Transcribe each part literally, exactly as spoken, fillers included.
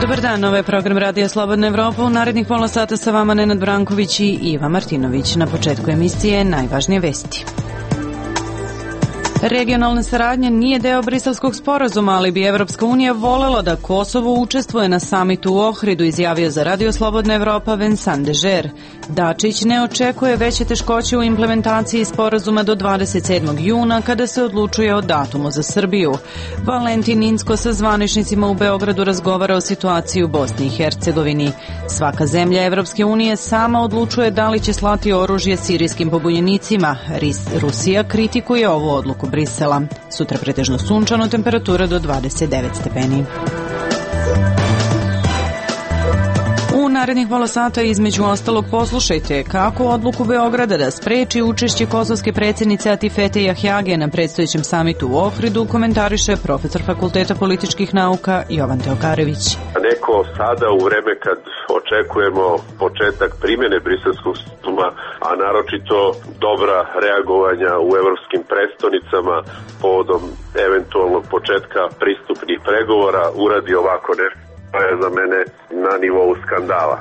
Dobar dan, ovo je program Radija Slobodna Evropa. U narednih pola sata sa vama Nenad Branković i Iva Martinović. Na početku emisije najvažnije vesti. Regionalna saradnja nije deo Briselskog sporazuma, ali bi Evropska unija volela da Kosovo učestvuje na samitu u Ohridu, izjavio za Radio Slobodna Evropa Vincent Dežer. Dačić ne očekuje veće teškoće u implementaciji sporazuma do dvadeset sedmog juna, kada se odlučuje o datumu za Srbiju. Valentin Incko sa zvaničnicima u Beogradu razgovara o situaciji u Bosni i Hercegovini. Svaka zemlja Evropske unije sama odlučuje da li će slati oružje sirijskim pobunjenicima. Rusija kritikuje ovu odluku Brisela. Sutra pretežno sunčano, temperatura do dvadeset devet stepeni. U narednih pola sata između ostalog poslušajte kako odluku Beograda da spreči učešće kosovske predsjednice Atifete Jahjage na predstojećem samitu u Ohridu komentariše profesor Fakulteta političkih nauka Jovan Teokarević. Neko sada u vreme kad očekujemo početak primjene Briselskog sporazuma, a naročito dobra reagovanja u evropskim prestonicama povodom eventualnog početka pristupnih pregovora, uradi ovako nešto. To je za mene na nivou skandala.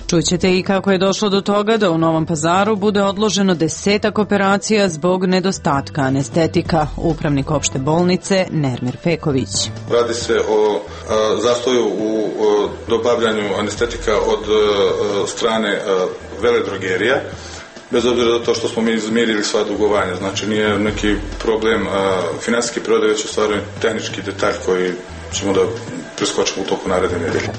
Čućete i kako je došlo do toga da u Novom Pazaru bude odloženo desetak operacija zbog nedostatka anestetika. Upravnik opšte bolnice Nermir Peković. Radi se o a, zastoju u o, dobavljanju anestetika od a, strane a, veledrogerija. Bez obzira na to što smo mi izmirili sva dugovanja, znači nije neki problem a, finansijski prodaj, već u stvari tehnički detalj koji ćemo da preskočimo u toku naredne nedelje.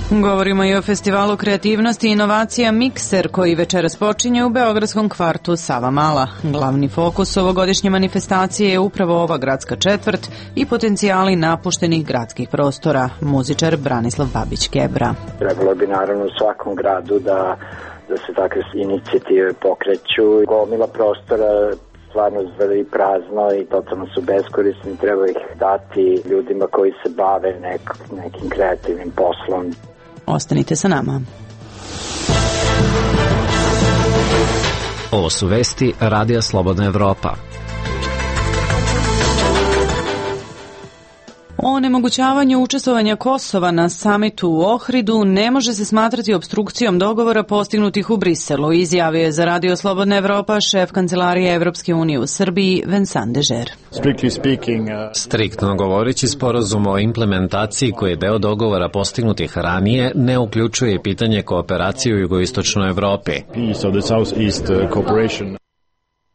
Govorimo i o festivalu kreativnosti i inovacija Mikser, koji večeras počinje u beogradskom kvartu Savamala. Glavni fokus ovogodišnje manifestacije je upravo ova gradska četvrt i potencijali napuštenih gradskih prostora. Muzičar Branislav Babić-Kebra. Trebalo bi naravno u svakom gradu da, da se takve inicijative pokreću. Gomila prostora stvarno zveli prazno i totalno su beskorisni, treba ih dati ljudima koji se bave nek, nekim kreativnim poslom. Ostanite sa nama. Ovo su vesti Radija Slobodna Evropa. O onemogućavanju učestvovanja Kosova na samitu u Ohridu ne može se smatrati opstrukcijom dogovora postignutih u Briselu, izjavio je za Radio Slobodna Evropa šef Kancelarije Evropske unije u Srbiji Vincent Dežer. Striktno govoreći, sporazum o implementaciji koji je deo dogovora postignutih ranije ne uključuje pitanje kooperacije u jugoistočnoj Evropi.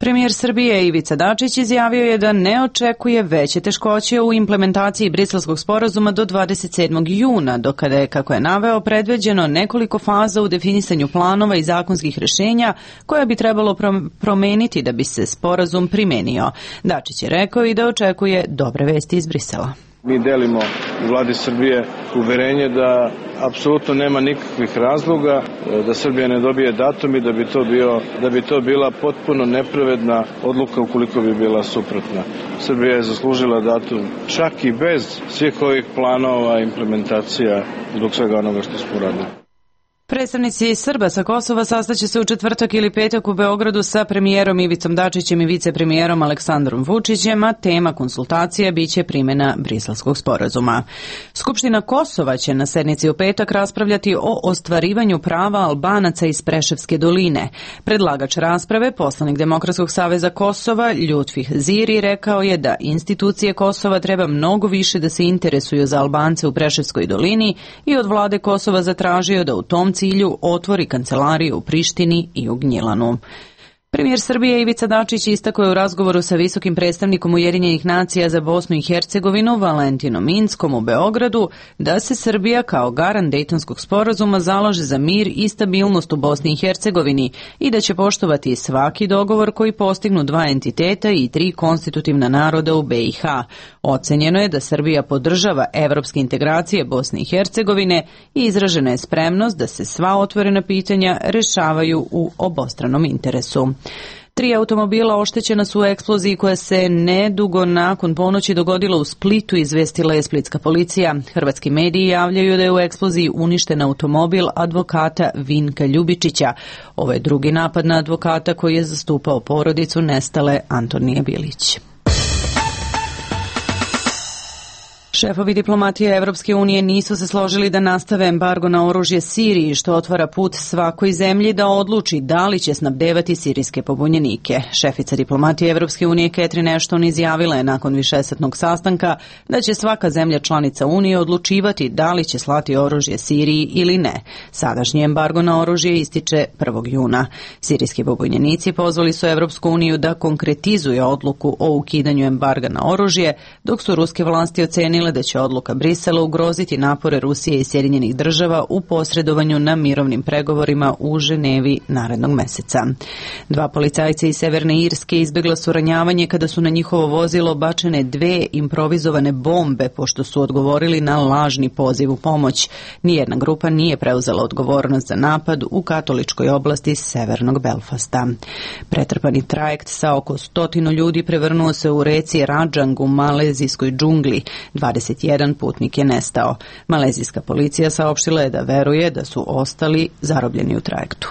Premijer Srbije Ivica Dačić izjavio je da ne očekuje veće teškoće u implementaciji Briselskog sporazuma do dvadeset sedmog juna, do kada je, kako je naveo, predviđeno nekoliko faza u definisanju planova i zakonskih rešenja koja bi trebalo promeniti da bi se sporazum primenio. Dačić je rekao i da očekuje dobre vesti iz Brisela. Mi delimo u vladi Srbije uverenje da apsolutno nema nikakvih razloga da Srbija ne dobije datum i da bi to bio, da bi to bila potpuno nepravedna odluka ukoliko bi bila suprotna. Srbija je zaslužila datum čak i bez svih ovih planova, implementacija, zbog svega onoga što smo radili. Predstavnici Srba sa Kosova sastaće se u četvrtak ili petak u Beogradu sa premijerom Ivicom Dačićem i vicepremijerom Aleksandrom Vučićem, a tema konsultacija biće primjena Briselskog sporazuma. Skupština Kosova će na sednici u petak raspravljati o ostvarivanju prava Albanaca iz Preševske doline. Predlagač rasprave, poslanik Demokratskog saveza Kosova, Ljutfih Ziri, rekao je da institucije Kosova treba mnogo više da se interesuju za Albance u Preševskoj dolini i od vlade Kosova zatražio da u tom cilju otvori kancelariju u Prištini i u Gnjilanu. Premijer Srbije Ivica Dačić istakao je u razgovoru sa visokim predstavnikom Ujedinjenih nacija za Bosnu i Hercegovinu Valentinom Inckom u Beogradu da se Srbija kao garant Dejtonskog sporazuma zalaže za mir i stabilnost u Bosni i Hercegovini i da će poštovati svaki dogovor koji postignu dva entiteta i tri konstitutivna naroda u be i ha. Ocenjeno je da Srbija podržava evropske integracije Bosne i Hercegovine i izražena je spremnost da se sva otvorena pitanja rešavaju u obostranom interesu. Tri automobila oštećena su u eksploziji koja se nedugo nakon ponoći dogodila u Splitu, izvestila je splitska policija. Hrvatski mediji javljaju da je u eksploziji uništen automobil advokata Vinka Ljubičića. Ovo je drugi napad na advokata koji je zastupao porodicu nestale Antonije Bilić. Šefovi diplomatije Evropske unije nisu se složili da nastave embargo na oružje Siriji, što otvara put svakoj zemlji da odluči da li će snabdevati sirijske pobunjenike. Šefica diplomatije Evropske unije Catherine Ashton izjavila je nakon višesatnog sastanka da će svaka zemlja članica Unije odlučivati da li će slati oružje Siriji ili ne. Sadašnji embargo na oružje ističe prvog juna. Sirijski pobunjenici pozvali su Evropsku uniju da konkretizuje odluku o ukidanju embarga na oružje, dok su ruske vlasti ocenile da će odluka Brisela ugroziti napore Rusije i Sjedinjenih država u posredovanju na mirovnim pregovorima u Ženevi narednog meseca. Dva policajca iz Severne Irske izbjegla su ranjavanje kada su na njihovo vozilo bačene dve improvizovane bombe pošto su odgovorili na lažni poziv u pomoć. Nijedna grupa nije preuzela odgovornost za napad u katoličkoj oblasti severnog Belfasta. Pretrpani trajekt sa oko stotinu ljudi prevrnuo se u reci Rajang u malezijskoj džungli. dvadeset jedan putnik je nestao. Malezijska policija saopštila je da veruje da su ostali zarobljeni u trajektu.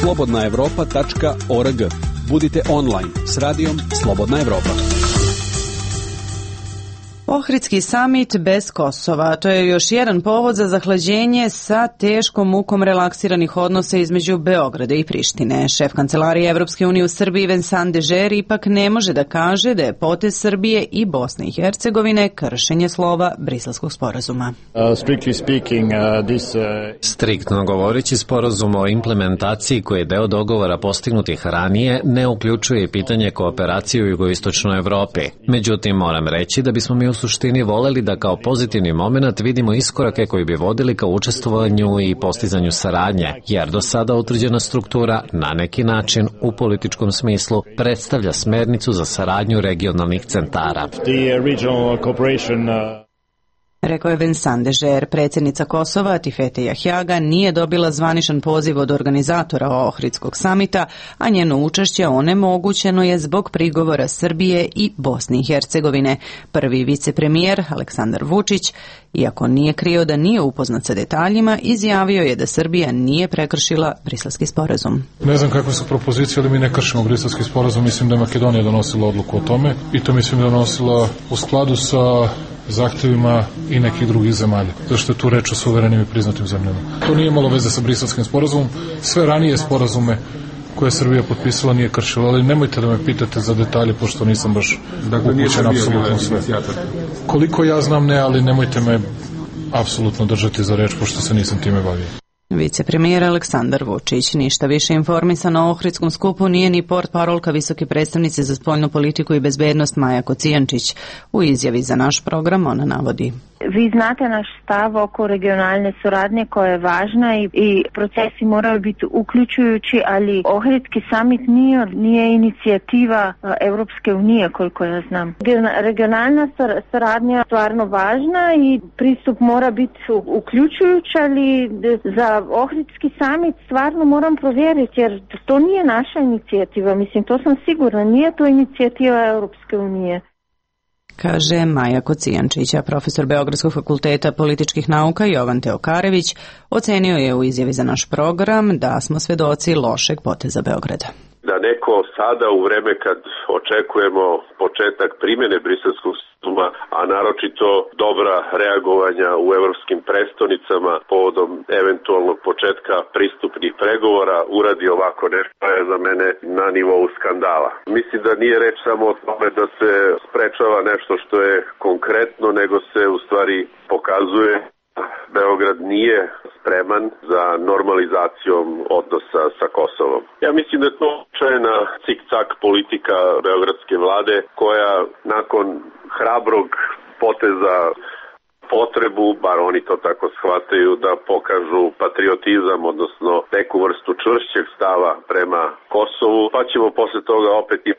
slobodna evropa tačka org. Budite online s radijom Slobodna Evropa. Ohridski samit bez Kosova. To je još jedan povod za zahlađenje sa teškom mukom relaksiranih odnosa između Beograda i Prištine. Šef kancelarije Evropske unije u Srbiji Vincent Dežer ipak ne može da kaže da je potez Srbije i Bosne i Hercegovine kršenje slova Briselskog sporazuma. Uh, strictly speaking, uh, this, uh... Striktno govoreći, sporazum o implementaciji koji je deo dogovora postignutih ranije ne uključuje pitanje kooperacije u jugoistočnoj Evropi. Međutim, moram reći da bismo mi u suštini voleli da kao pozitivni moment vidimo iskorake koji bi vodili ka učestvovanju i postizanju saradnje, jer do sada utvrđena struktura na neki način u političkom smislu predstavlja smernicu za saradnju regionalnih centara. Rekao je Vincent Dežer. Predsjednica Kosova, Tifete Jahjaga, nije dobila zvaničan poziv od organizatora Ohridskog samita, a njeno učešće onemogućeno je zbog prigovora Srbije i Bosne i Hercegovine. Prvi vicepremijer, Aleksandar Vučić, iako nije krio da nije upoznat sa detaljima, izjavio je da Srbija nije prekršila Briselski sporazum. Ne znam kakve su propozicije, ali mi ne kršimo Briselski sporazum. Mislim da je Makedonija donosila odluku o tome i to mislim da je donosila u skladu sa zahtjevima i nekih drugih zemalja, zašto je tu reč o suverenim i priznatim zemljama. To nije imalo veze sa Briselskim sporazumom. Sve ranije sporazume koje je Srbija potpisala nije kršila, ali nemojte da me pitate za detalje, pošto nisam baš upućen apsolutno sve. Koliko ja znam ne, ali nemojte me apsolutno držati za reč, pošto se nisam time bavio. Vicepremijer Aleksandar Vučić. Ništa više informisan o Ohridskom skupu nije ni portparolka visoke predstavnice za spoljnu politiku i bezbednost Maja Kocijančić. U izjavi za naš program ona navodi: Vi znate naš stav oko regionalne suradnje koja je važna i, i procesi moraju biti uključujući, ali Ohridski samit nije, nije inicijativa Evropske unije, koliko ja znam. Regionalna suradnja je stvarno važna i pristup mora biti uključujući, ali za Ohridski samit stvarno moram provjeriti, jer to nije naša inicijativa. Mislim, to sam sigurna, nije to inicijativa Europske unije. Kaže Maja Kocijančića. Profesor Beogradskog fakulteta političkih nauka Jovan Teokarević ocenio je u izjavi za naš program da smo svedoci lošeg poteza Beograda. Da neko sada u vreme kad očekujemo početak primjene Briselskog sporazuma, a naročito dobra reagovanja u evropskim prestonicama povodom eventualnog početka pristupnih pregovora, uradi ovako nešto, je za mene na nivou skandala. Mislim da nije reč samo o tome da se sprečava nešto što je konkretno, nego se u stvari pokazuje Beograd nije spreman za normalizacijom odnosa sa Kosovom. Ja mislim da je to očajna cik-cak politika beogradske vlade koja nakon hrabrog poteza potrebu, bar oni to tako shvataju, da pokažu patriotizam, odnosno neku vrstu čvršćeg stava prema Kosovu, pa ćemo posle toga opet i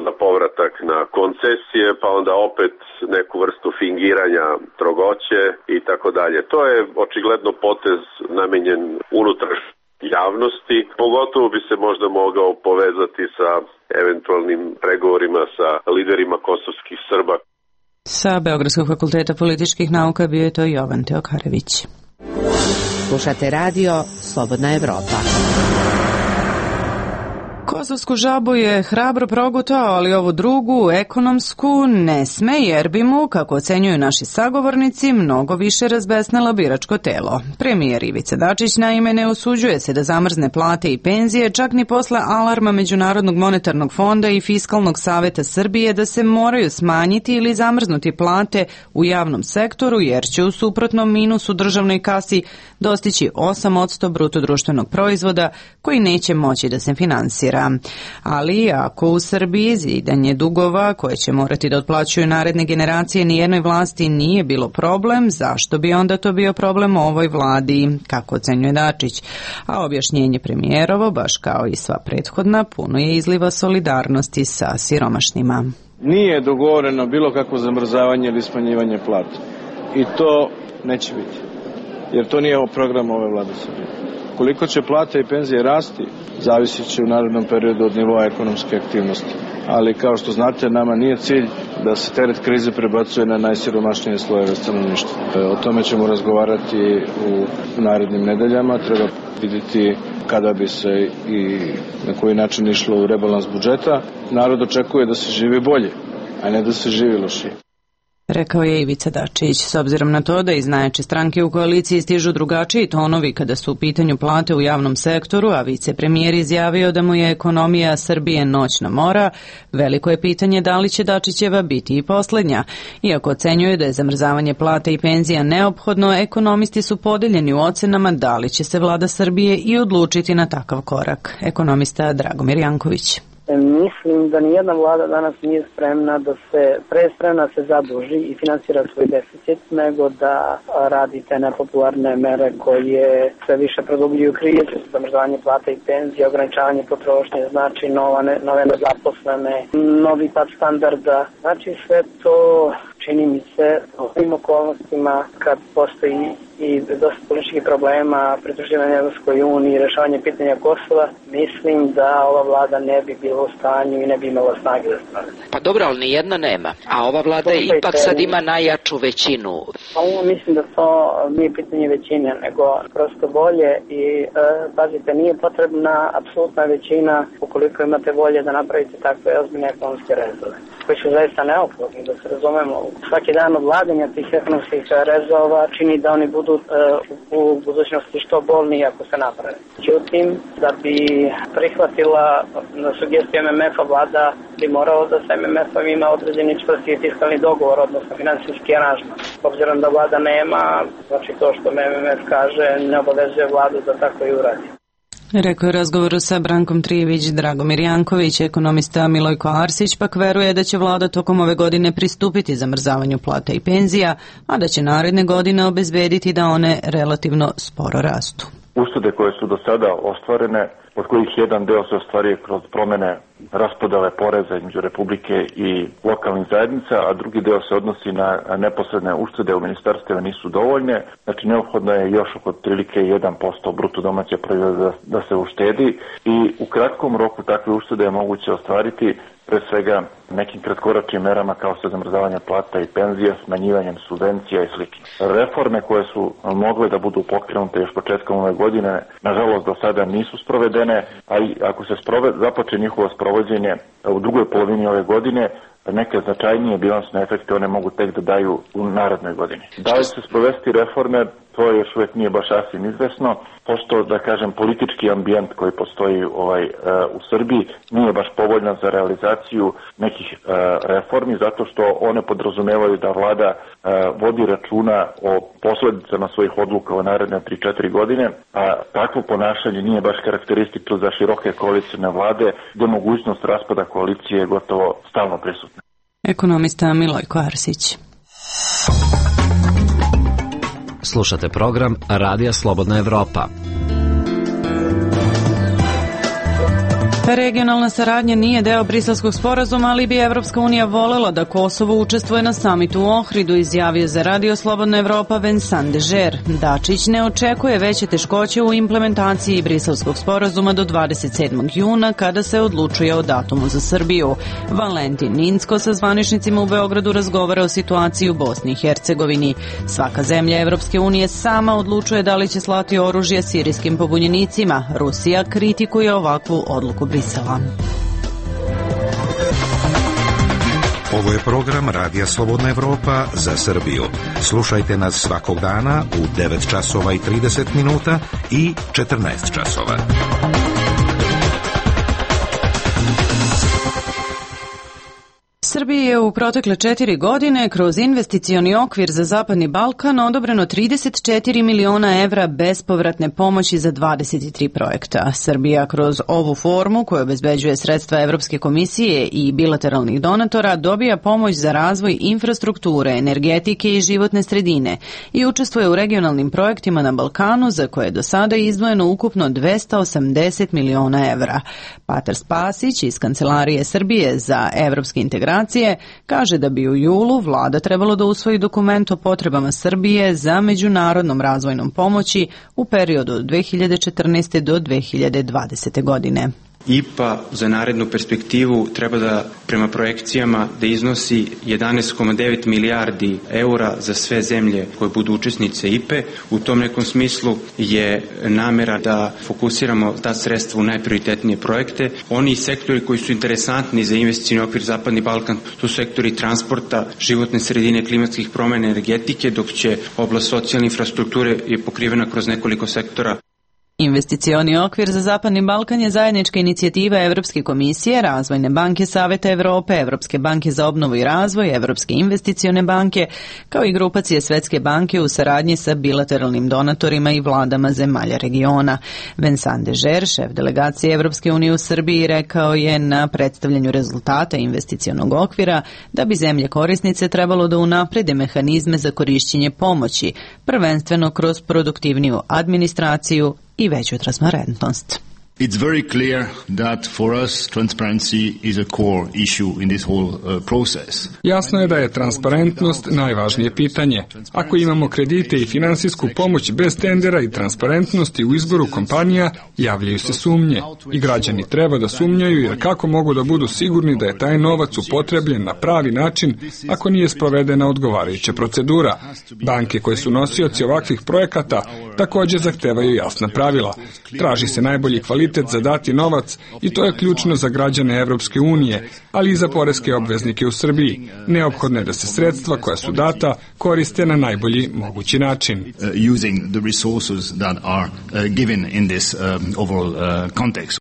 na povratak na koncesije, pa onda opet neku vrstu fingiranja trogoće i tako dalje. To je očigledno potez namenjen unutrašnjoj javnosti, pogotovo bi se možda mogao povezati sa eventualnim pregovorima sa liderima kosovskih Srba. Sa Beogradskog fakulteta političkih nauka bio je to Jovan Teokarević. Slušate radio Slobodna Evropa. Kosovsku žabu je hrabro progutao, ali ovu drugu, ekonomsku, ne sme jer bi mu, kako ocenjuju naši sagovornici, mnogo više razbesnelo biračko telo. Premijer Ivica Dačić naime ne usuđuje se da zamrzne plate i penzije, čak ni posle alarma Međunarodnog monetarnog fonda i Fiskalnog saveta Srbije da se moraju smanjiti ili zamrznuti plate u javnom sektoru, jer će u suprotnom minus u državnoj kasi dostići osam posto bruto društvenog proizvoda koji neće moći da se finansira. Ali ako u Srbiji zidanje dugova koje će morati da otplaćuju naredne generacije nijednoj vlasti nije bilo problem, zašto bi onda to bio problem ovoj vladi, kako ocenjuje Dačić? A objašnjenje premijerovo, baš kao i sva prethodna, puno je izliva solidarnosti sa siromašnima. Nije dogovoreno bilo kakvo zamrzavanje ili smanjivanje plata. I to neće biti. Jer to nije program ove vlade Srbije. Koliko će plate i penzije rasti, zavisit će u narednom periodu od nivoa ekonomske aktivnosti. Ali kao što znate, nama nije cilj da se teret krize prebacuje na najsiromašnije slojeve stanovništva. O tome ćemo razgovarati u narednim nedeljama. Treba vidjeti kada bi se i na koji način išlo u rebalans budžeta. Narod očekuje da se živi bolje, a ne da se živi lošije. Rekao je Ivica Dačić. S obzirom na to da iz najjače stranke u koaliciji stižu drugačiji tonovi kada su u pitanju plate u javnom sektoru, a vicepremijer izjavio da mu je ekonomija Srbije noćna mora, veliko je pitanje da li će Dačićeva biti i poslednja. Iako ocenjuje da je zamrzavanje plata i penzija neophodno, ekonomisti su podeljeni u ocenama da li će se vlada Srbije i odlučiti na takav korak. Ekonomista Dragomir Janković. Mislim da nijedna vlada danas nije spremna da se, pre spremna da se zaduži i finansira svoj deficit, nego da radi te nepopularne mere koje sve više produbljuju krizu, zamrzavanje plata i penzija, ograničavanje potrošnje, znači nova, ne, nove nezaposlene, novi pad standarda. Znači sve to čini mi se u ovim okolnostima kad postoji i dosta političkih problema, pridruživanje Evropskoj uniji, rešavanje pitanja Kosova, mislim da ova vlada ne bi bila u stanju i ne bi imala snage da sprave. Pa dobro, ali nijedna nema. A ova vlada je ipak sad ima najjaču većinu. Pa ovo mislim da to nije pitanje većine, nego prosto bolje i e, pazite, nije potrebna apsolutna većina ukoliko imate volje da napravite takve ozbiljne ekonomske rezove, koji su zaista neophodni, da se razumemo. Svaki dan odlaganja tih ekonomskih rezova čini da oni budu uh, u budućnosti što bolniji ako se naprave. Međutim, da bi prihvatila na sugestiju M M F-a vlada bi moralo da sa M M F-om ima određeni čvrsti fiskalni dogovor, odnosno finansijski aranžman. Obzirom da vlada nema, znači to što M M F kaže ne obavezuje vladu da tako i uradi. Rekao je u razgovoru sa Brankom Trijević Dragomir Janković. Ekonomista Milojko Arsić pak veruje da će vlada tokom ove godine pristupiti zamrzavanju plata i penzija, a da će naredne godine obezbediti da one relativno sporo rastu. Uštede koje su do sada ostvarene, od kojih jedan deo se ostvaruje kroz promene raspodele poreza između Republike i lokalnih zajednica, a drugi deo se odnosi na neposredne uštede u ministarstvima nisu dovoljne. Znači neophodno je još oko otprilike jedan posto bruto domaće proizvoda da se uštedi i u kratkom roku takve uštede je moguće ostvariti pre svega nekim kratkoračnim merama kao što je zamrzavanje plata i penzija, smanjivanjem subvencija i slično. Reforme koje su mogle da budu pokrenute još početkom ove godine, nažalost do sada nisu sprovedene, a i ako se sproved, započe njihovo sprovođenje u drugoj polovini ove godine, neke značajnije bilansne efekte one mogu tek da daju u narednoj godini. Da li će sprovesti reforme, to još uvijek nije baš sasvim izvesno, pošto, da kažem, politički ambijent koji postoji ovaj, uh, u Srbiji nije baš povoljan za realizaciju nekih uh, reformi, zato što one podrazumevaju da vlada uh, vodi računa o posledicama svojih odluka u naredne tri četiri godine, a takvo ponašanje nije baš karakteristično za široke koalicijne vlade, gde mogućnost raspada koalicije je gotovo stalno prisutna. Ekonomista Milojko Arsić. Slušate program Radija Slobodna Evropa. Regionalna saradnja nije deo Briselskog sporazuma, ali bi Evropska unija volela da Kosovo učestvuje na samitu u Ohridu, izjavio za Radio Slobodna Evropa Vincent Dežer. Dačić ne očekuje veće teškoće u implementaciji Briselskog sporazuma do dvadeset sedmog juna, kada se odlučuje o datumu za Srbiju. Valentin Ninsko sa zvaničnicima u Beogradu razgovara o situaciji u Bosni i Hercegovini. Svaka zemlja Evropske unije sama odlučuje da li će slati oružje sirijskim pobunjenicima. Rusija kritikuje ovakvu odluku Brisela. Brisela. Ovo je program Radija Slobodna Evropa za Srbiju. Slušajte nas svakog dana u devet časova i trideset minuta i četrnaest časova. Srbiji je u protekle četiri godine kroz investicioni okvir za Zapadni Balkan odobreno trideset četiri miliona evra bespovratne pomoći za dvadeset tri projekta. Srbija kroz ovu formu, koju obezbeđuje sredstva Evropske komisije i bilateralnih donatora, dobija pomoć za razvoj infrastrukture, energetike i životne sredine i učestvuje u regionalnim projektima na Balkanu, za koje je do sada izdvojeno ukupno dvesta osamdeset miliona evra. Patar Spasić iz Kancelarije Srbije za evropske integracije kaže da bi u julu vlada trebalo da usvoji dokument o potrebama Srbije za međunarodnom razvojnom pomoći u periodu od dve hiljade četrnaeste. do dve hiljade dvadesete. godine. I P A za narednu perspektivu treba da, prema projekcijama, da iznosi jedanaest zarez devet milijardi eura za sve zemlje koje budu učesnice I P E. U tom nekom smislu je namera da fokusiramo ta sredstva u najprioritetnije projekte. Oni sektori koji su interesantni za investicioni okvir Zapadni Balkan su sektori transporta, životne sredine, klimatskih promjena, energetike, dok će oblast socijalne infrastrukture je pokrivena kroz nekoliko sektora. Investicioni okvir za Zapadni Balkan je zajednička inicijativa Evropske komisije, Razvojne banke Saveta Evrope, Evropske banke za obnovu i razvoj, Evropske investicione banke, kao i grupacije Svetske banke u saradnji sa bilateralnim donatorima i vladama zemalja regiona. Vincent Dežer, šef delegacije Evropske unije u Srbiji, rekao je na predstavljanju rezultata investicionog okvira da bi zemlje korisnice trebalo da unaprede mehanizme za korišćenje pomoći, prvenstveno kroz produktivniju administraciju i veću transparentnost. It's very clear that for us transparency is a core issue in this whole uh, process. Jasno je da je transparentnost najvažnije pitanje. Ako imamo kredite i finansijsku pomoć bez tendera i transparentnosti u izboru kompanija, javljaju se sumnje. I građani treba da sumnjaju, jer kako mogu da budu sigurni da je taj novac upotrebljen na pravi način ako nije sprovedena odgovarajuća procedura. Banke koje su nosioci ovakvih projekata također zahtevaju jasna pravila. Traži se najbolji kvalitet za dati novac i to je ključno za građane Evropske unije, ali i za poreske obveznike u Srbiji. Neophodno je da se sredstva koja su data koriste na najbolji mogući način. Uh, using the resources that are uh, given in this um, overall uh, context.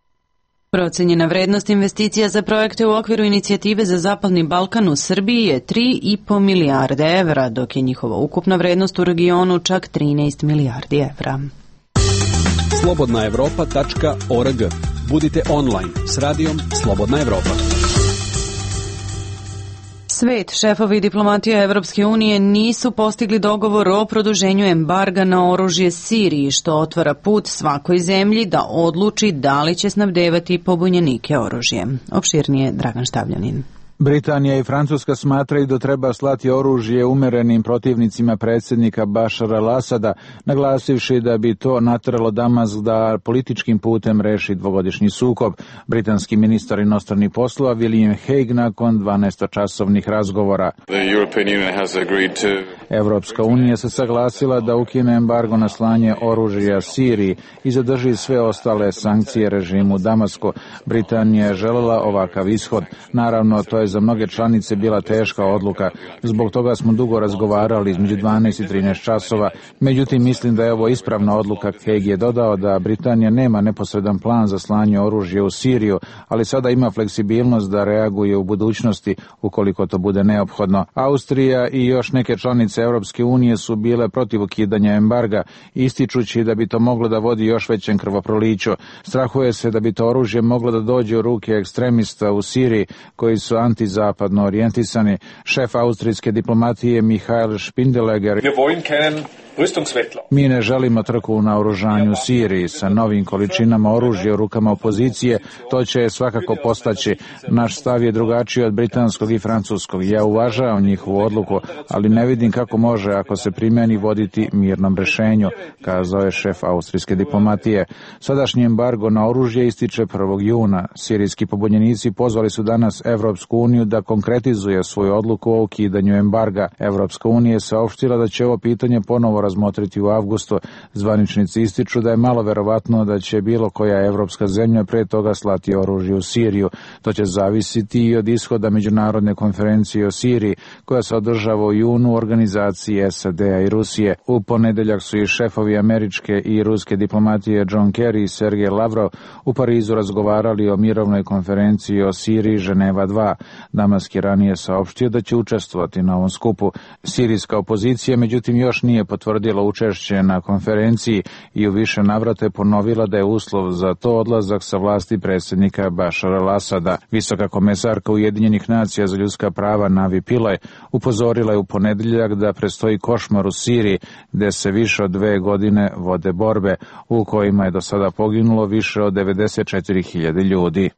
Procenjena vrednost investicija za projekte u okviru inicijative za Zapadni Balkan u Srbiji je tri i po milijarde evra, dok je njihova ukupna vrednost u regionu čak trinaest milijardi evra. slobodna evropa tačka org. Budite online s radijom Slobodna Evropa. Svet, šefovi diplomatija Evropske unije nisu postigli dogovor o produženju embarga na oružje Siriji, što otvara put svakoj zemlji da odluči da li će snabdevati pobunjenike oružjem. Opširnije Dragan Štavljanin. Britanija i Francuska smatraju da treba slati oružje umerenim protivnicima predsjednika Bašara al-Asada, naglasivši da bi to nateralo Damask da političkim putem reši dvogodišnji sukob. Britanski ministar inostranih poslova William Hague nakon dvanaestočasovnih razgovora. Evropska unija se saglasila da ukine embargo na slanje oružja Siriji i zadrži sve ostale sankcije režimu Damasku. Britanija je želela ovakav ishod. Naravno, to je za mnoge članice bila teška odluka. Zbog toga smo dugo razgovarali između dvanaest i trinaest časova. Međutim, mislim da je ovo ispravna odluka. Hague je dodao da Britanija nema neposredan plan za slanje oružja u Siriju, ali sada ima fleksibilnost da reaguje u budućnosti ukoliko to bude neophodno. Austrija i još neke članice Europske unije su bile protiv ukidanja embarga, ističući da bi to moglo da vodi još većem krvoproliću. Strahuje se da bi to oružje moglo da dođe u ruke ekstremista u Siriji koji su antizapadno orijentisani. Šef austrijske diplomatije Michael Spindeleger: mi ne želimo trku u naoružanju u Siriji sa novim količinama oružja u rukama opozicije, to će svakako postaći. Naš stav je drugačiji od britanskog i francuskog. Ja uvažavam njihovu odluku, ali ne vidim kako može, ako se primjeni, voditi mirnom rešenju, kazao je šef austrijske diplomatije. Sadašnji embargo na oružje ističe prvog juna. Sirijski pobunjenici pozvali su danas Evropsku uniju da konkretizuje svoju odluku o ukidanju embarga. Evropska unija je saopštila da će ovo pitanje ponovo razmotriti u avgustu. Zvaničnici ističu da je malo verovatno da će bilo koja evropska zemlja pre toga slati oružje u Siriju. To će zavisiti i od ishoda međunarodne konferencije o Siriji, koja se održava u junu u organizaciji S A D-a i Rusije. U ponedeljak su i šefovi američke i ruske diplomatije John Kerry i Sergej Lavrov u Parizu razgovarali o mirovnoj konferenciji o Siriji Ženeva dva. Damask je ranije saopštio da će učestvovati na ovom skupu. Sirijska opozicija međutim još nije potvrdila učešće na konferenciji i u više navrata je ponovila da je uslov za to odlazak sa vlasti predsjednika Bašara al-Asada. Visoka komesarka Ujedinjenih nacija za ljudska prava Navi Pillay upozorila je u ponedeljak da predstoji košmar u Siriji, gde se više od dve godine vode borbe, u kojima je do sada poginulo više od devedeset četiri hiljade ljudi.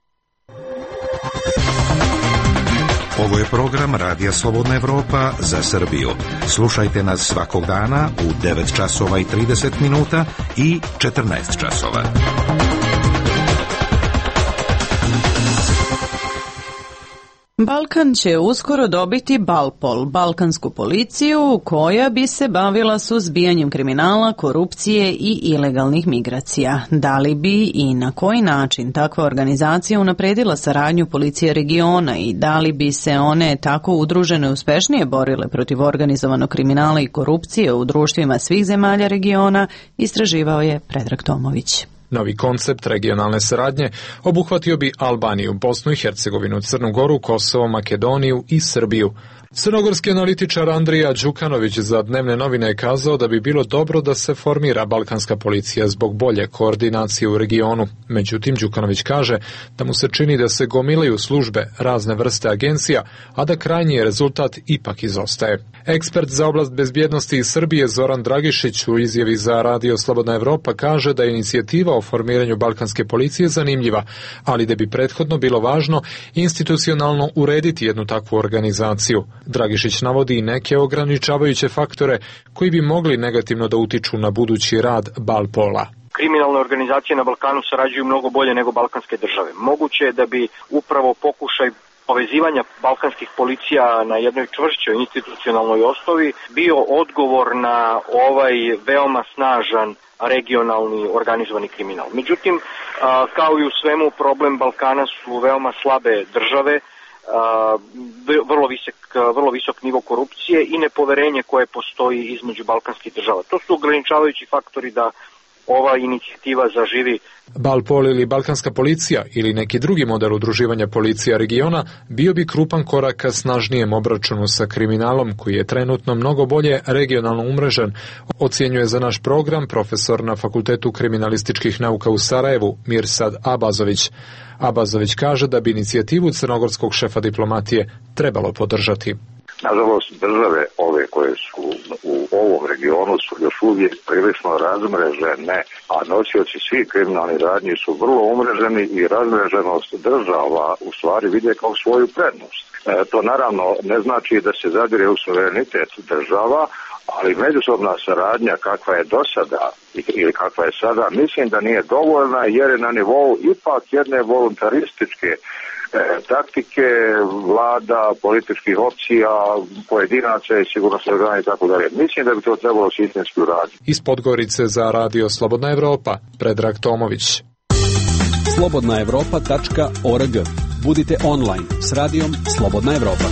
Ovo je program Radija Slobodna Evropa za Srbiju. Slušajte nas svakog dana u devet časova i trideset minuta i četrnaest časova. Balkan će uskoro dobiti Balpol, balkansku policiju koja bi se bavila suzbijanjem kriminala, korupcije i ilegalnih migracija. Da li bi i na koji način takva organizacija unapredila saradnju policije regiona i da li bi se one tako udružene uspešnije borile protiv organizovanog kriminala i korupcije u društvima svih zemalja regiona, istraživao je Predrag Tomović. Novi koncept regionalne saradnje obuhvatio bi Albaniju, Bosnu i Hercegovinu, Crnu Goru, Kosovo, Makedoniju i Srbiju. Crnogorski analitičar Andrija Đukanović za Dnevne novine je kazao da bi bilo dobro da se formira balkanska policija zbog bolje koordinacije u regionu. Međutim, Đukanović kaže da mu se čini da se gomilaju službe razne vrste agencija, a da krajnji rezultat ipak izostaje. Ekspert za oblast bezbjednosti iz Srbije Zoran Dragišić u izjavi za Radio Slobodna Evropa kaže da je inicijativa o formiranju balkanske policije zanimljiva, ali da bi prethodno bilo važno institucionalno urediti jednu takvu organizaciju. Dragišić navodi i neke ograničavajuće faktore koji bi mogli negativno da utiču na budući rad Balpola. Kriminalne organizacije na Balkanu sarađuju mnogo bolje nego balkanske države. Moguće je da bi upravo pokušaj povezivanja balkanskih policija na jednoj čvršćoj institucionalnoj osnovi bio odgovor na ovaj veoma snažan regionalni organizovani kriminal. Međutim, kao i u svemu, problem Balkana su veoma slabe države, vrlo visok, vrlo visok nivo korupcije i nepoverenje koje postoji između balkanskih država. To su ograničavajući faktori da ova inicijativa zaživi. Balpol ili balkanska policija ili neki drugi model udruživanja policija regiona bio bi krupan korak ka snažnijem obračunu sa kriminalom koji je trenutno mnogo bolje regionalno umrežen, ocjenjuje za naš program profesor na Fakultetu kriminalističkih nauka u Sarajevu Mirsad Abazović. Abazović kaže da bi inicijativu crnogorskog šefa diplomatije trebalo podržati. Nažalost, države ove koje su u ovom regionu su još uvijek prilično razmrežene, a nosioci svih kriminalnih radnji su vrlo umreženi i razmreženost država u stvari vide kao svoju prednost. E, to naravno ne znači da se zadire u suverenitet država, ali međusobna saradnja kakva je do sada ili kakva je sada, mislim da nije dovoljna jer je na nivou ipak jedne voluntarističke taktike vlada, političkih opcija, pojedinaca i sigurnosnih organa i tako dalje. Mislim da bi to trebalo sistemski uraditi. Iz Podgorice za Radio Slobodna Evropa, Predrag Tomović. slobodna evropa tačka org. Budite online s radijom Slobodna Evropa.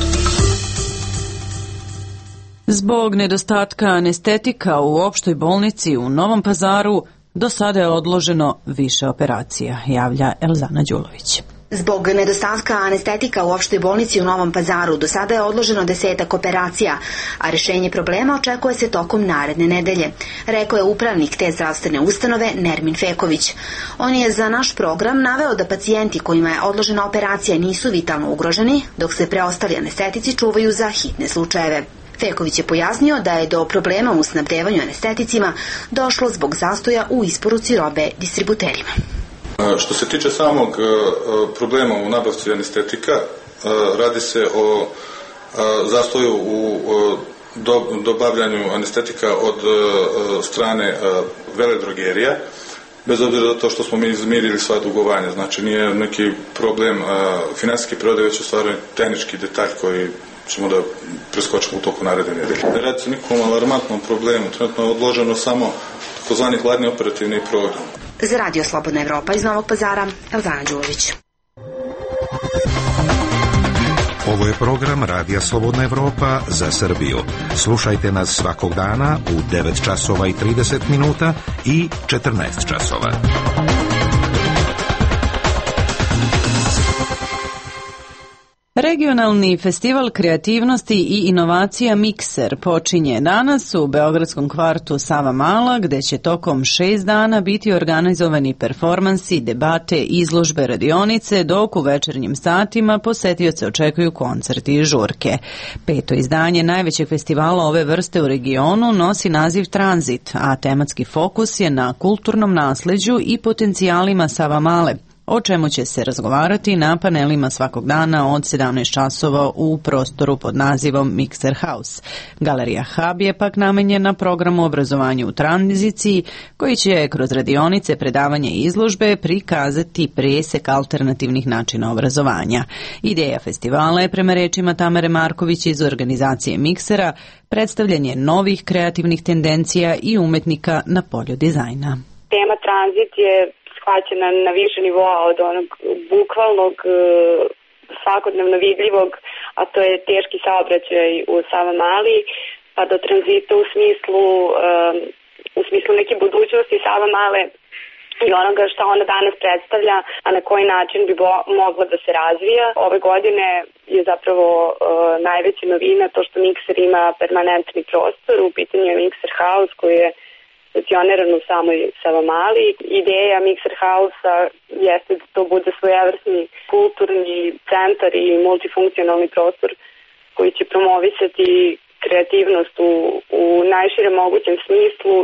Zbog nedostatka anestetika u opštoj bolnici u Novom Pazaru do sada je odloženo više operacija, javlja Elzana Đulović. Zbog nedostatka anestetika u opštoj bolnici u Novom Pazaru do sada je odloženo desetak operacija, a rešenje problema očekuje se tokom naredne nedelje, rekao je upravnik te zdravstvene ustanove Nermin Feković. On je za naš program naveo da pacijenti kojima je odložena operacija nisu vitalno ugroženi, dok se preostali anestetici čuvaju za hitne slučajeve. Feković je pojasnio da je do problema u snabdevanju anesteticima došlo zbog zastoja u isporuci robe distributerima. Što se tiče samog problema u nabavci anestetika, radi se o zastoju u dobavljanju anestetika od strane veledrogerija, bez obzira na to što smo mi izmirili sva dugovanja. Znači nije neki problem finansijski prodaj, već u stvari tehnički detalj koji ćemo da preskočimo u toku naredne nedelje. Ne radi se nikom alarmantnom problemu, trenutno je odloženo samo takozvani hladni operativni program. Za Radio Slobodna Evropa iz Novog Pazara, Elvana Đulović. Ovo je program Radija Slobodna Evropa za Srbiju. Slušajte nas svakog dana u devet časova i trideset minuta i četrnaest časova. Regionalni festival kreativnosti i inovacija Mikser počinje danas u beogradskom kvartu Savamala, gde će tokom šest dana biti organizovani performansi, debate, izložbe, radionice, dok u večernjim satima posetioce očekuju koncerti i žurke. Peto izdanje najvećeg festivala ove vrste u regionu nosi naziv Tranzit, a tematski fokus je na kulturnom nasleđu i potencijalima Savamale, o čemu će se razgovarati na panelima svakog dana od sedamnaest časova u prostoru pod nazivom Mikser House. Galerija Hub je pak namenjena programu obrazovanja u tranziciji, koji će kroz radionice, predavanje i izložbe prikazati presek alternativnih načina obrazovanja. Ideja festivala je, prema rečima Tamare Marković iz organizacije Miksera, predstavljanje novih kreativnih tendencija i umetnika na polju dizajna. Tema tranzit je shvaćena na više nivoa, od onog bukvalnog, svakodnevno vidljivog, a to je teški saobraćaj u Savamali, pa do tranzita u smislu, u smislu neke budućnosti Savamale i onoga što ona danas predstavlja, a na koji način bi mogla da se razvija. Ove godine je zapravo najveća novina to što Mikser ima permanentni prostor, u pitanju je Mikser House koji je stacioniran u samoj Savamali. Ideja Mikser House-a jeste da to bude svojevrsni kulturni centar i multifunkcionalni prostor koji će promovisati kreativnost u, u najširem mogućem smislu.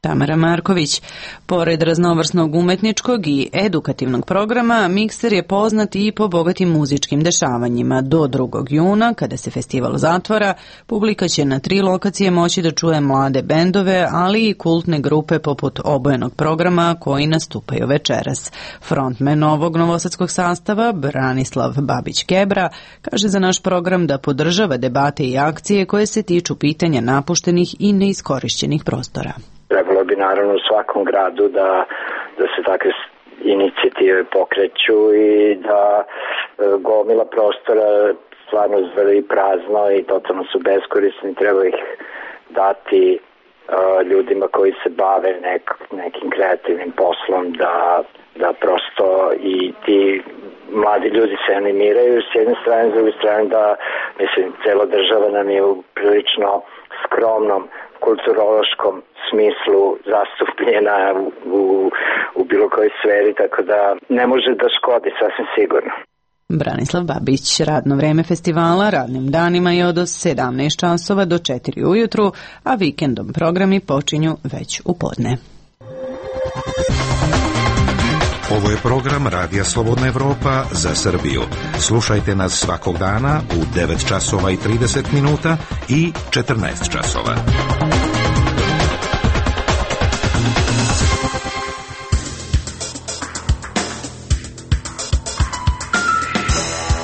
Tamara Marković. Pored raznovrsnog umetničkog i edukativnog programa, Mikser je poznat i po bogatim muzičkim dešavanjima. Do drugog juna, kada se festival zatvara, publika će na tri lokacije moći da čuje mlade bendove, ali i kultne grupe poput obojenog programa koji nastupaju večeras. Frontman ovog novosadskog sastava, Branislav Babić-Kebra, kaže za naš program da podržava debate i akcije koje se tiču pitanja napuštenih i neiskorišćenih prostora. Trebalo bi naravno u svakom gradu da, da se takve inicijative pokreću i da e, gomila prostora stvarno zvrli prazno i totalno su beskorisni, treba ih dati e, ljudima koji se bave nek, nekim kreativnim poslom, da, da prosto i ti mladi ljudi se animiraju s jedne strane, s druge strane da, mislim, cela država nam je u prilično skromnom kulturološkom smislu zastupljena u, u, u bilo kojoj sferi, tako da ne može da škodi, sasvim sigurno. Branislav Babić. Radno vreme festivala radnim danima je od sedamnaest časova do četiri ujutru, a vikendom programi počinju već u podne. Ovo je program Radija Slobodna Evropa za Srbiju. Slušajte nas svakog dana u devet časova i trideset minuta i četrnaest časova.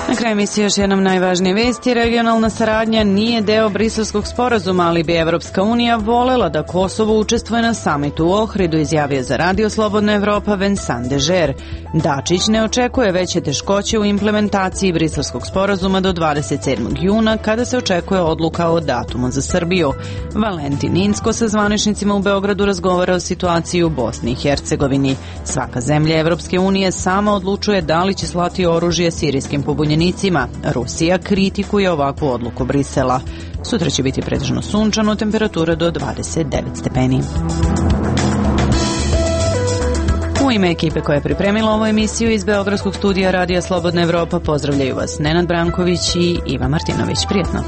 Na kraju emisije još jednom najvažnije vesti. Regionalna saradnja nije deo briselskog sporazuma, ali bi Evropska unija volela da Kosovo učestvuje na samitu u Ohridu, izjavio za Radio Slobodna Evropa Vincent Dežer. Dačić ne očekuje veće teškoće u implementaciji briselskog sporazuma do dvadeset sedmog juna, kada se očekuje odluka o datumu za Srbiju. Valentin Inzko sa zvaničnicima u Beogradu razgovara o situaciji u Bosni i Hercegovini. Svaka zemlja Evropske unije sama odlučuje da li će slati oružje sirijskim pobunjenicima. Rusija kritikuje ovakvu odluku Brisela. Sutra će biti pretežno sunčano, temperatura do dvadeset devet stepeni. U ime ekipe koja je pripremila ovu emisiju iz Beogradskog studija Radija Slobodna Evropa pozdravljaju vas Nenad Branković i Iva Martinović. Prijetno.